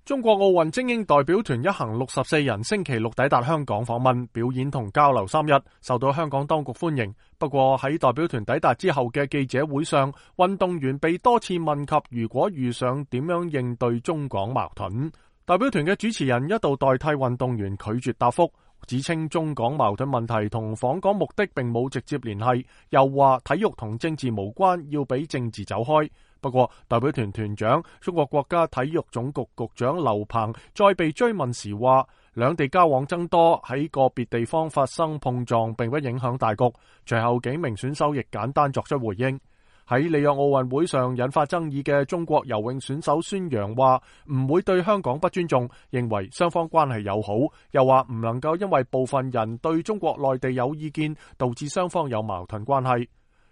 中國奧運精英代表團一行64人星期六抵達香港訪問，表演同交流3日，受到香港當局歡迎。不過喺代表團抵達之後嘅記者會上，運動員被多次問及如果遇上點樣應對中港矛盾。代表團嘅主持人一度代替運動員拒絕答覆，指稱中港矛盾問題同訪港目的並冇直接聯繫，又話體育同政治無關，要俾政治走開。不過，代表團團長、中國國家體育總局局長劉鵬再被追問時話，兩地交往增多，喺個別地方發生碰撞並不影響大局。隨後幾名選手亦簡單作出回應。喺里約奧運會上引發爭議嘅中國游泳選手孫楊話唔會對香港不尊重，認為雙方關係友好，又話唔能夠因為部分人對中國內地有意見，導致雙方有矛盾關係。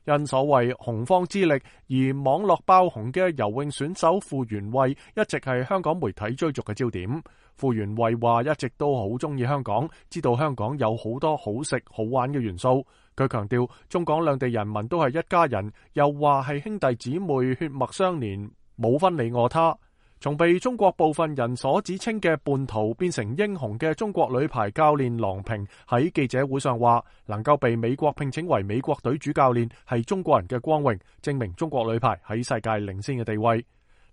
因所謂洪荒之力而網絡爆紅嘅游泳選手傅園慧一直係香港媒體追逐嘅焦點。傅園慧話一直都好中意香港，知道香港有好多好食好玩嘅元素。佢強調中港兩地人民都係一家人，又話係兄弟姊妹血脈相連，冇分你我他。從被中國部分人所指稱嘅叛徒變成英雄嘅中國女排教練郎平喺記者會上話，能夠被美國聘請為美國隊主教練係中國人嘅光榮，證明中國女排喺世界領先嘅地位。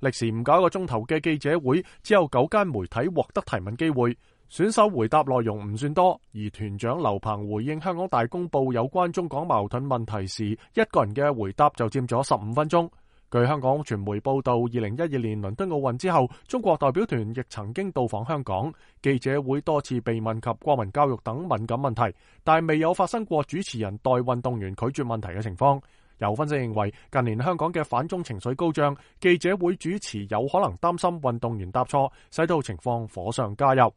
歷時唔夠一個鐘頭嘅記者會，只有9間媒體獲得提問機會，選手回答內容唔算多，而團長劉鵬回應香港大公報有關中港矛盾問題時，一個人嘅回答就佔咗15分鐘。據香港傳媒報道，2012年倫敦奧運之後，中國代表團亦曾經到訪香港，記者會多次被問及國民教育等敏感問題，但未有發生過主持人代運動員拒絕問題嘅情況。有分析認為，近年香港嘅反中情緒高漲，記者會主持有可能擔心運動員答錯，使到情況火上加油。